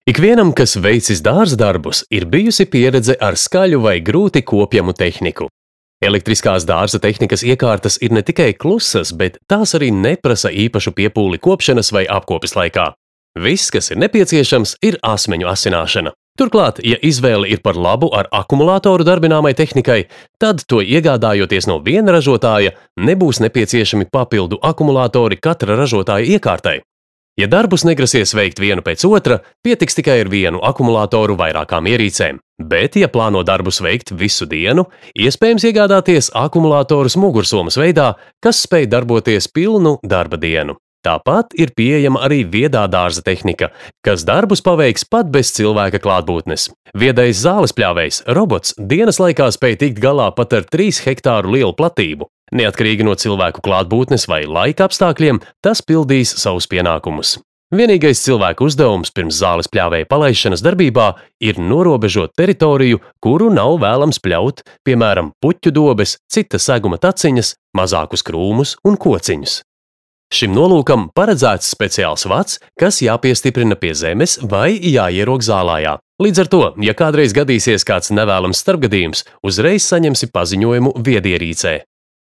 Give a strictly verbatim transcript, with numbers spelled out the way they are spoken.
Ikvienam, kas veicis dārzdarbus, ir bijusi pieredze ar skaļu vai grūti kopjamu tehniku. Elektriskās dārza tehnikas iekārtas ir ne tikai klusas, bet tās arī neprasa īpašu piepūli kopšanas vai apkopes laikā. Viss, kas ir nepieciešams, ir asmeņu asināšana. Turklāt, ja izvēle ir par labu ar akumulātoru darbināmai tehnikai, tad to iegādājoties no viena ražotāja, nebūs nepieciešami papildu akumulātori katra ražotāja iekārtai. Ja darbus negrasies veikt vienu pēc otra, pietiks tikai ar vienu akumulātoru vairākām ierīcēm. Bet, ja plāno darbus veikt visu dienu, iespējams iegādāties akumulātorus mugursomas veidā, kas spēj darboties pilnu darba dienu. Tāpat ir pieejama arī viedā dārza tehnika, kas darbus paveiks pat bez cilvēka klātbūtnes. Viedais zālespļāvējs robots dienas laikā spēj tikt galā pat ar trīs hektāru lielu platību. Neatkarīgi no cilvēku klātbūtnes vai laika apstākļiem, tas pildīs savus pienākumus. Vienīgais cilvēku uzdevums pirms zālespļāvēja palaišanas darbībā ir norobežot teritoriju, kuru nav vēlams pļaut, piemēram, puķu dobes, cita seguma taciņas, mazākus krūmus un kociņus. Šim nolūkam paredzēts speciāls vats, kas jāpiestiprina pie zemes vai jāierok zālājā. Līdz ar to, ja kādreiz gadīsies kāds nevēlams starpgadījums, uzreiz saņemsi paziņojumu viedierīcē.